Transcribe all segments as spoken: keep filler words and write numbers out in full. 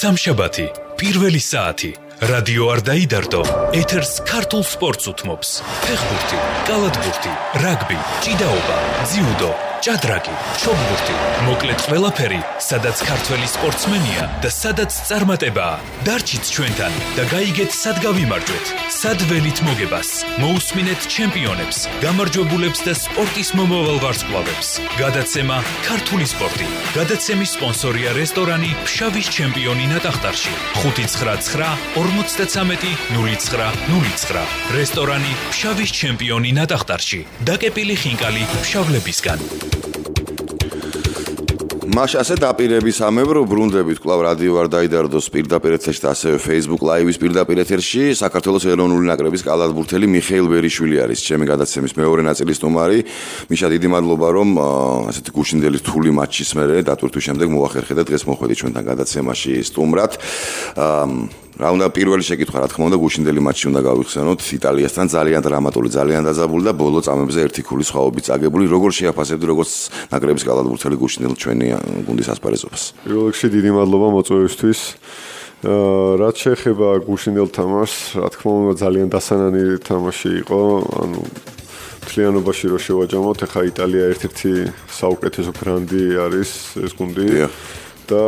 სამშაბათი, პირველი საათი. რადიო არ დაიდარდო, ეთერს ქართულ სპორტს უთმობს. ფეხბურთი, კალათბურთი, რაგბი, ჭიდაობა, ძიუდო, ჭადრაკი, ჩოგბურთი, მოკლედ ყველაფერი, სადაც ქართველი სპორტსმენია და სადაც წარმატებაა. დარჩით ჩვენთან და გაიგეთ სად გავიმარჯვეთ, სად ველით მოგებას. მოусმინეთ ჩემპიონებს, გამარჯვებულებს და სპორტის მომავალ ვარსკვლავებს. გადაცემა ქართული სპორტი. გადაცემის სპონსორია რესტორანი ფშავის ჩემპიონი ნატახტარში. ხუთი ცხრა ცხრა ორმოცდათრამეტი ნული ცხრა ნული ცხრა. რესტორანი ფშავის ჩემპიონი ნატახტარში. დაკეპილი ხინკალი ფშავლებისგან. მაშ ასე დაპირებისამებრ ბრუნდებით კვლავ რადიო არ დაიდარდოს პირდაპირ ეთერში და ასევე Facebook Live-ის პირდაპირ ეთერში საქართველოს ეროვნული ნაკრების კალათბურთელი მიხეილ ბერიშვილი არის ჩემი გადაცემის მეორე ნაწილის სტუმარი. მიშა, დიდი მადლობა რომ ასეთი გუშინდელი რთული მატჩის მერე დატვირთვის შემდეგ მოახერხე და დღეს მოხვედი ჩვენთან გადაცემაში სტუმრად. რა უნდა პირველი შეკითხვა, რა თქმა უნდა, გუშინდელი მატჩი უნდა გავიხსენოთ იტალიასთან, ძალიან დრამატული, ძალიან დაძაბული და ბოლო წამებზე ერთი ქულის სხვაობით წაგებული. როგორ შეაფასებდი როგორც ნაკრების კალათბურთელი გუშინდელ ჩვენი გუნდის ასპარეზობას? პირველ რიგში დიდი მადლობა მოწვევისთვის. რაც შეეხება გუშინდელ თამაშს, რა თქმა უნდა, ძალიან დასანანი თამაში იყო, ანუ მთლიანობაში რო შევაჯამოთ, ახლა იტალია ერთ-ერთი საუკეთესო გრანდი არის ეს გუნდი. და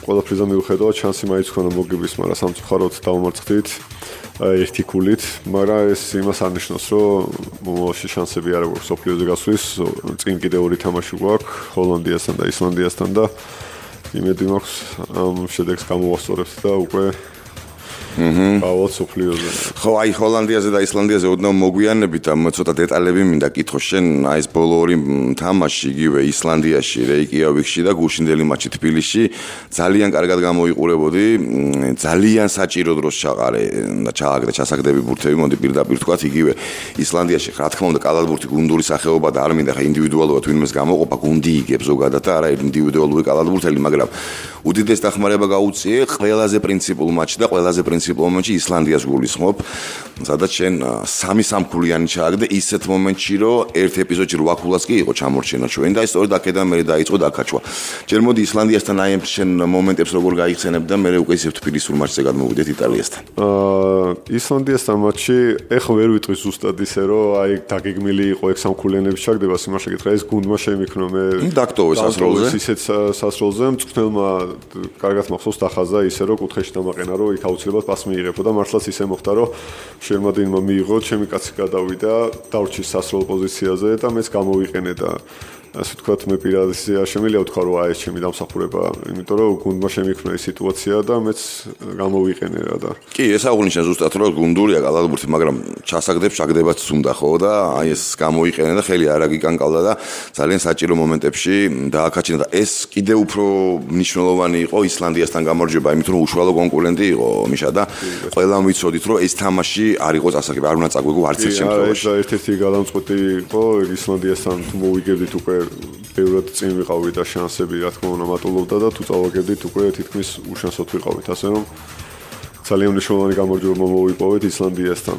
ყველაფრიზა მიუხედავად შანსი მაინც ქონა მოგების, მაგრამ სამწუხაროდ დავმარცხდით ერთი ქულით, მაგრამ ეს იმას არნიშნავს, რომ მომავალში შანსები არ აქვს სოფლიოზე გასვლის. წინ კიდე ორი თამაში გვაქვს ჰოლანდიასთან და ისლანდიასთან და იმედი მაქვს ამ შედეგს გამოვასწორებთ და უკვე ავალ სოფლიოზე. ხო, აი ჰოლანდიაზე და ისლანდიაზე ოდნავ მოგვიანებით და ცოტა დეტალები მინდა კითხო შენ, აი ეს ბოლო ორი თამაში იგივე ისლანდიაში, რეიკიავიკში და გუშინდელი მატჩი თბილისში ძალიან კარგად გამოიყურებოდი, ძალიან საჭირო დროს ჩაყარე და ჩააგდე ჩასაგდები ბურთები, მოდი პირდაპირ თქვათ, იგივე ისლანდიაში, რა თქმა უნდა, კალათბურთი გუნდური სახეობა და არ მინდა ხა ინდივიდუალურად ვინმეს გამოყოფა, გუნდი იგებს ზოგადად და არა ინდივიდუალური კალათბურთელი, მაგრამ უდიდეს დახმარება გაუწიე ყველაზე პრინციპულ მატჩში და ყველაზე პრინციპულ მომენტში ისლანდიას გულისხმობ, სადაც შენ სამი სამქულიანი ჩააგდე ისეთ მომენტში, რომ ერთ ეპიზოდში რვა ქულას კი იყო ჩამორჩენა ჩვენ და სწორედ აქედან მერე დაიწყო დაკაჩვა. ჯერ მოდი ისლანდიასთან აი ამ შენ მომენტებს როგორ გაიხსენებ და მერე უკვე ისევ თბილისურ მატჩზე გადმოვიდეთ იტალიასთან. აა ისლანდიასთან მატჩი ეხლა ვერ ვიტყვი ზუსტად ისე, რომ აი დაგეგმილი იყო ეგ სამქულიანების ჩაგდება, სიმართლე გითხრა, ეს გუნდმა შემიქნო მე დაქტოვე სასროლზე. ისეთ სასროლზე მწვრთნელმა კარგად მახსოვს დახაზა ისე, რომ კუთხეში დამაყენა, რომ იქ აუცილებლად პასი მიიღებო და მართლაც ისე მოხდა, რომ შერმადინმა მიიღო, ჩემი კაცი გადავიდა, დავრჩის სასროლ პოზიციაზე და მეც გამოვიყენე და ასე ვთქვათ, მე პირადად არ შემიძლია ვთქვა, რომ აი ეს ჩემი დამსახურება, იმიტომ რომ გუნდმა შემიქნა ეს სიტუაცია და მეც გამოვიყენე რა და. კი, ეს აღნიშნა ზუსტად, რომ გუნდურია კალათბურთი, მაგრამ ჩასაგდებს ჩაგდებაც უნდა ხო და აი ეს გამოიყენე და ხელი არ აგიკანკავდა და ძალიან საჭირო მომენტებში დააკაჩინა და ეს კიდევ უფრო მნიშვნელოვანი იყო ისლანდიასთან გამარჯვება, იმიტომ რომ უშუალო კონკურენტი იყო მიშა და ყველამ ვიცოდით, რომ ეს თამაში არ იყო წასაგები, არ უნდა წაგვიგო არც ერთ შემთხვევაში. ეს ერთ-ერთი გადამწყვეტი იყო ისლანდიასთან თუ მოვიგებდით უკვე ბევრად წინ ვიყავით და შანსები რა თქმა უნდა მატულობდა და თუ წავაგებდით უკვე თითქმის უშანსოდ ვიყავით, ასე რომ ძალიან მნიშვნელოვანი გამარჯვება მოვიპოვეთ ისლანდიასთან.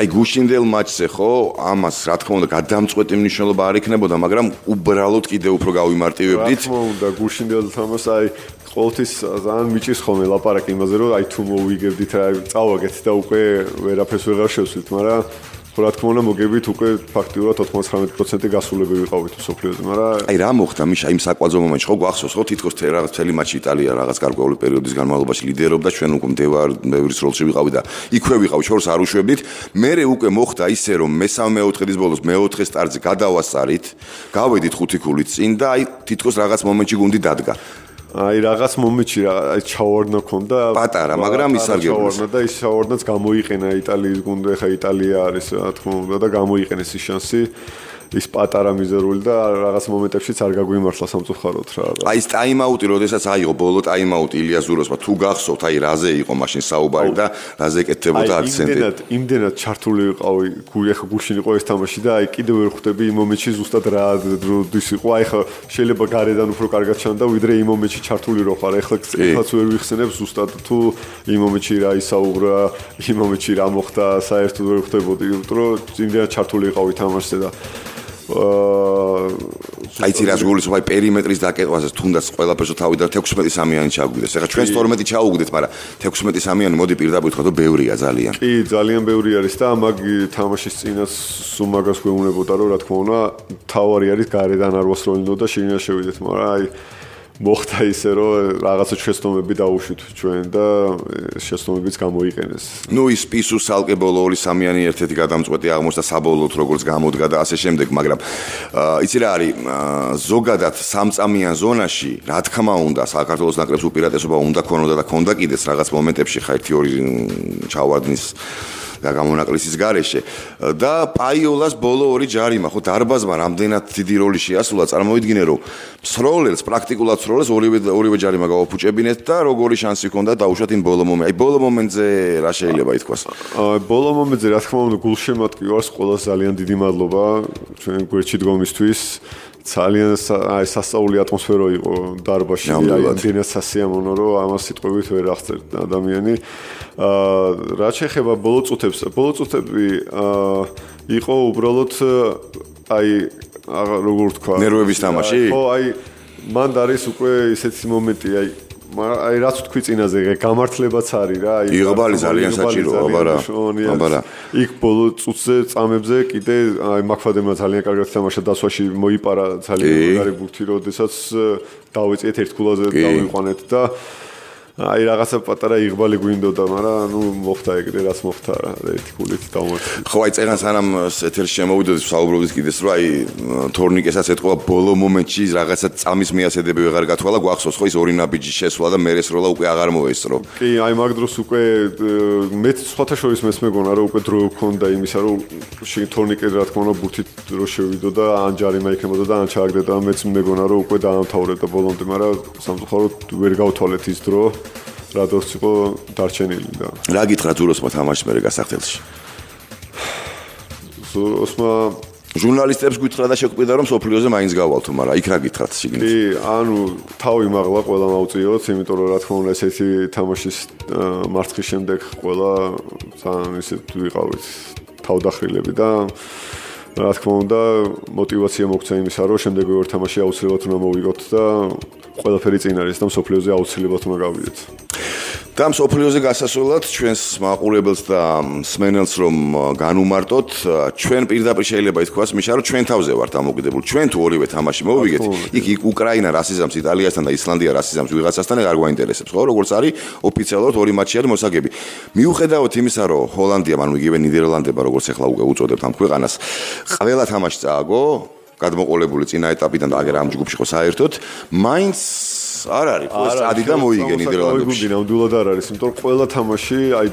აი გუშინდელ მატჩზე ხო ამას რა თქმა უნდა გადამწყვეტი მნიშვნელობა არ იქნებოდა, მაგრამ უბრალოდ კიდევ უფრო გავიმარტივებდით. რა თქმა უნდა გუშინდელ თამაშს აი ყოველთვის ძალიან მიჭირს ხოლმე ლაპარაკი იმაზე, რომ აი თუ მოვიგებდით, აი წავაგეთ და უკვე ვერაფერს ვეღარ შევსვით, მაგრამ რა თქმა უნდა მოგებით უკვე ფაქტიურად ოთხმოცდათხმეტი პროცენტი გასულები ვიყავით სოფლიოზე, მაგრამ აი რა მოხდა მიშა იმ საკვაძო მომენტში, ხო გვახსოვს, ხო თითქოს რაღაც მთელი მატჩი იტალია რაღაც გარკვეული პერიოდის განმავლობაში ლიდერობდა, ჩვენ უკვე მდევარ ბევრის როლში ვიყავით და იქვე ვიყავით, შორს არ უშვებდით. მერე უკვე მოხდა ისე, რომ მესამე მეოთხედის ბოლოს მეოთხე სტარტზე გადავასწარით, გავედით ხუთი ქულით წინ და აი თითქოს რაღაც მომენტში გუნდი დადგა. აი რაღაც მომენტში აი ჩავარდნა ქონდა პატარა, მაგრამ ისარგებლეს. ჩავარდნა და ის ჩავარდნაც გამოიყენა იტალიის გუნდი, ხა იტალია არის რა თქმა უნდა და გამოიყენეს ის შანსი. ის პატარა მიზერული და რაღაც მომენტებშიც არ გაგვიმართლა სამწუხაროდ რა. აი ეს ტაიმაუტი, როდესაც აიღო ბოლო ტაიმაუტი ილიას ზუროსმა, თუ გახსოვთ, აი რაზე იყო მაშინ საუბარი და რაზე ეკეთებოდა აქცენტი. აი იმდენად, იმდენად ჩართული ვიყავი, გუიხა გუშინ იყო ეს თამაში და აი კიდევ ვერ ხვდები იმ მომენტში ზუსტად რა დროდის იყო. აი ხა შეიძლება გარედან უფრო კარგად ჩანდა, ვიდრე იმ მომენტში ჩართული რო ხარ. ეხლა ეხლაც ვერ ვიხსენებ ზუსტად თუ იმ მომენტში რა ისაუბრა, იმ მომენტში რა მოხდა, საერთოდ ვერ ხვდებოდი, იმიტომ რომ იმდენად ჩართული ვიყავი თამაშზე და აი ცირას გულისხმობ აი პერიმეტრის დაკეტვაზე თუნდაც ყველაფერს თავი და თექვსმეტი სამიანი ჩაგვიდეს. ეხლა ჩვენს თორმეტი ჩაუგდეთ, მაგრამ თექვსმეტი სამიანი მოდი პირდაპირ თქვა, რომ ბევრია ძალიან. კი, ძალიან ბევრი არის და მაგ თამაშის წინაც სულ მაგას გვეუბნებოდა, რომ რა თქმა უნდა, თავარი არის გარედან არ ვასროლინო და შიგნიდან შევიდეთ, მაგრამ აი მოხდა ისე რომ რაღაცა შეცდომები დაუშვით ჩვენ და შეცდომებიც გამოიყენეს. ნუ ის პისუს ალკე ბოლო ორი სამიანი ერთ-ერთი გადამწყვეტი აღმოჩნდა საბოლოოდ როგორც გამოდგა და ასე შემდეგ, მაგრამ იცი რა არის ზოგადად სამწამიან ზონაში, რა თქმა უნდა, საქართველოს ნაკრებს უპირატესობა უნდა ქონოდა და ქონდა კიდეც რაღაც მომენტებში ხა ერთი ორი ჩავარდნის და გამონაკლისის გარეშე და პაიოლას ბოლო ორი ჯარიმა ხო დარბაზმა რამდენად დიდი როლი შეასრულა წარმოვიდგინე რომ სროლელს პრაქტიკულად სროლელს ორივე ორივე ჯარიმა გავაფუჭებინეთ და როგორი შანსი ჰქონდა დაუშვათ იმ ბოლო მომენტ. აი ბოლო მომენტზე რა შეიძლება ითქვას? აი ბოლო მომენტზე რა თქმა უნდა გულშემატკივარს ყველას ძალიან დიდი მადლობა ჩვენ გვერდში დგომისთვის. ძალიან აი სასწაული ატმოსფერო იყო დარბაზში, აი იმდენად სასიამოვნო რომ ამას სიტყვებით ვერ აღწერთ ადამიანი. აა რა შეეხება ბოლო წუთებს, ბოლო წუთები აა იყო უბრალოდ აი როგორ თქვა, ნერვების თამაში? ხო, აი მანდ არის უკვე ისეთი მომენტი, აი აი რაც თქვი წინაზე გამართლებაც არის რა აი იღბალი ძალიან საჭიროა აბარა აბარა იქ ბოლო წუთზე წამებზე კიდე აი მაქფადემმა ძალიან კარგად თამაშა დასვაში მოიპარა ძალიან მაგარი ბურთი როდესაც დავეწიეთ ერთ ქულაზე დავიყვანეთ და აი რაღაცა პატარა იღბალი გვინდოდა მაგრამ ნუ მოხდა ეგრე რაც მოხდა ერთი ქულით დავმოწი ხო აი წერან სანამ ეთერში შემოვიდოდი საუბრობდით კიდეს რომ აი თორნიკესაც ეთქვა ბოლო მომენტში რაღაცა წამის მიასედები ვეღარ გათვალა გვახსოვს ხო ის ორი ნაბიჯი შესვლა და მერე სროლა უკვე აღარ მოესწრო კი აი მაგ დროს უკვე მეც სხვათა შორის მეც მეგონა რომ უკვე დრო გქონდა იმისა რომ თორნიკე რა თქმა უნდა ბურთით დრო შევიდო და ან ჯარიმა იქნებოდა და ან ჩააგდე და მეც მეგონა რომ უკვე დაამთავრებდა ბოლომდე მაგრამ სამწუხაროდ ვერ გავთვალეთ ის დრო რადოს იყო დარჩენილი და რა გითხრა ზუროსმა თამაშის მერე გასახდელში ზუროსმა ჟურნალისტებს გითხრა და შეგვიდა რომ სოფლიოზე მაინც გავალთო მაგრამ იქ რა გითხრათ შიგნით კი ანუ თავი მაღლა ყველა მაუწიოთ იმიტომ რომ რა თქმა უნდა ესეთი თამაშის მარცხის შემდეგ ყველა ძალიან ისე ვიყავით თავდახრილები და რა თქმა უნდა мотиваცია მოგცა იმისა რომ შემდეგ ვერ თამაში აუცილებლად უნდა მოვიგოთ და ყველაფერი წინ არის და სოფლიოზე აუცილებლად უნდა გავიდეთ. და სოფლიოზე გასასვლელად ჩვენს მაყურებელს და მსმენელს რომ განუმარტოთ, ჩვენ პირდაპირ შეიძლება ითქვას, მიშა რომ ჩვენ თავზე ვართ ამოგდებული. ჩვენ თუ ორივე თამაში მოვიგეთ, იქ იქ უკრაინა რასიზამს იტალიასთან და ისლანდია რასიზამს ვიღაცასთან არ გვაინტერესებს, ხო? როგორც არის ოფიციალურად ორი მატჩი არის მოსაგები. მიუხედავად იმისა, რომ ჰოლანდიამ, ანუ იგივე ნიდერლანდება, როგორც ახლა უკვე უწოდებთ ამ ქვეყანას, ყველა თამაში წააგო გადმოყოლებული წინა ეტაპიდან და აგერ ამ ჯგუფში ხო საერთოდ მაინც არ არის ხო წადი და მოიგე ნიდერლანდებში ნამდვილად არ არის იმიტომ რომ ყველა თამაში აი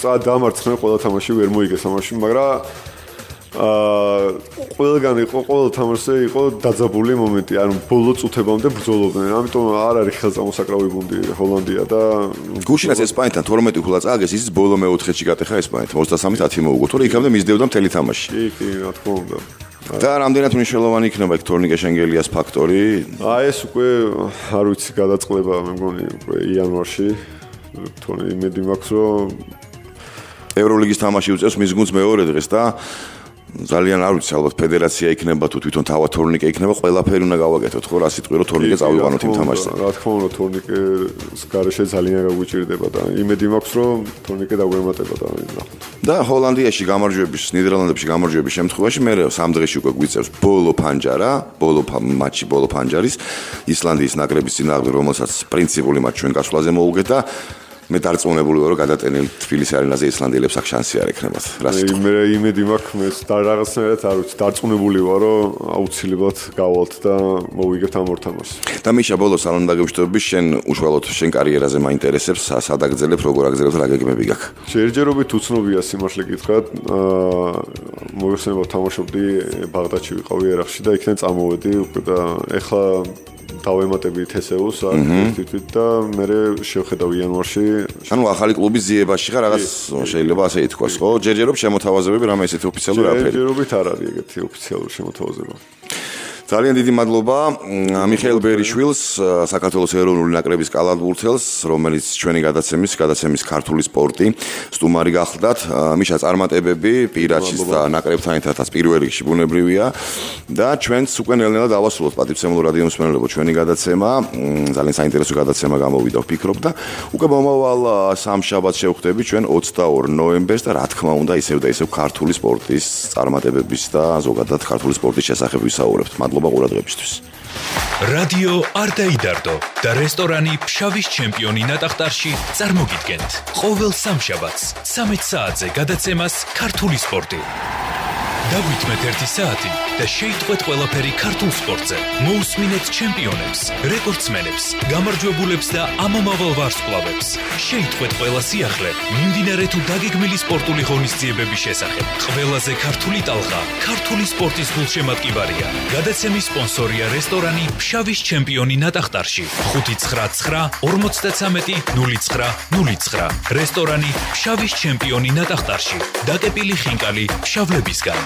წად დამარცხნა ყველა თამაში ვერ მოიგე თამაში მაგრამ აა ყველგან იყო ყველა თამაშზე იყო დაძაბული მომენტი ანუ ბოლო წუთებამდე ბრძოლობდნენ ამიტომ არ არის ხელწამოსაკრავი გუნდი ჰოლანდია და გუშინაც ესპანეთთან თორმეტი ქულა წააგეს ის ბოლო მეოთხედში გატეხა ესპანეთს ოცდასამი ათი მოუგო თორე იქამდე მისდევდა მთელი თამაში კი კი რა თქმა უნდა და რამდენად მნიშვნელოვანი იქნება იქ თორნიკე შენგელიას ფაქტორი? აი ეს უკვე არ ვიცი გადაწყდება მე მგონი უკვე იანვარში თორე იმედი მაქვს რომ ევროლიგის თამაში უწევს მის გუნდს მეორე დღეს და ძალიან არ ვიცი ალბათ ფედერაცია იქნება თუ თვითონ თავად თორნიკე იქნება ყველაფერი უნდა გავაკეთოთ ხო რა სიტყვი რომ თორნიკე წავიყვანოთ იმ თამაშზე რა თქმა უნდა თორნიკეს გარეშე ძალიან გაგვიჭირდება და იმედი მაქვს რომ თორნიკე დაგვემატება და ნახოთ და ჰოლანდიაში გამარჯვების ნიდერლანდებში გამარჯვების შემთხვევაში მე სამ დღეში უკვე გვიწევს ბოლო ფანჯარა ბოლო მატჩი ბოლო ფანჯარის ისლანდიის ნაკრების წინააღმდეგ რომელსაც პრინციპული მატჩი ჩვენ გასვლაზე მოუგეთ და მე დარწმუნებული ვარ რომ გადატენილ თბილისის არენაზე ისლანდიელებს აქ შანსი არ ექნებათ. რა სიტყვა? მე იმედი მაქვს მე და რაღაცნაირად არ ვიცი დარწმუნებული ვარ რომ აუცილებლად გავალთ და მოვიგებთ ამ ორ თამაშს. და მიშა ბოლოს სალონ დაგებშტობები შენ უშუალოდ შენ კარიერაზე მაინტერესებს სად აგრძელებ როგორ აგრძელებ რა გეგმები გაქვს? ჯერჯერობით უცნობია სიმართლე გითხრათ აა მოიხსენება თამაშობდი ბაღდადში ვიყავი ერახში და იქიდან წამოვედი უკვე და ეხლა დავემატები თესეულს აქტივით და მე შევხედავ იანვარში ანუ ახალი კლუბის ძიებაში ხარ რაღაც შეიძლება ასე ითქვას ხო ჯერჯერობით შემოთავაზებები რამე ესეთი ოფიციალური არაფერი ჯერჯერობით არ არის ეგეთი ოფიციალური შემოთავაზება ძალიან დიდი მადლობა მიხეილ ბერიშვილს, საქართველოს ეროვნული ნაკრების კალათბურთელს, რომელიც ჩვენი გადაცემის, გადაცემის ქართული სპორტი სტუმარი გახლდათ. მიშა წარმატებები პირაჩის და ნაკრებთან ერთადაც პირველ რიგში ბუნებრივია და ჩვენც უკვე ნელ-ნელა დავასრულოთ პატივცემულო რადიო მსმენელებო ჩვენი გადაცემა. ძალიან საინტერესო გადაცემა გამოვიდა ვფიქრობ და უკვე მომავალ სამშაბათს შევხვდები ჩვენ ოცდაორ ნოემბერს და რა თქმა უნდა ისევ და ისევ ქართული სპორტის წარმატებების და ზოგადად ქართული სპორტის შესახებ ვისაუბრებთ. მადლობა ყურადღებისთვის. რადიო არ დაიდარდო და რესტორანი ფშავის ჩემპიონი ნატახტარში წარმოგიდგენთ ყოველ სამშაბათს სამეც საათზე გადაცემას ქართული სპორტი. დაგვიტმეთ ერთი საათი და შეიტყვეთ ყველაფერი ქართულ სპორტზე. მოусმინეთ ჩემპიონებს, რეკორდსმენებს, გამარჯვებულებს და ამომავალ ვარსკვლავებს. შეიტყვეთ ყველა სიახლე, მიმდინარე თუ დაგეგმილი სპორტული ღონისძიებების შესახებ. ყველაზე ქართული ტალღა, ქართული სპორტის გულშემატკივარია. გადაცემის სპონსორია რესტორანი ფშავის ჩემპიონი ნატახტარში. ხუთი ცხრა ცხრა ორმოცდათრამეტი ნული ცხრა ნული ცხრა. რესტორანი ფშავის ჩემპიონი ნატახტარში. დაკეპილი ხინკალი ფშავლებისგან.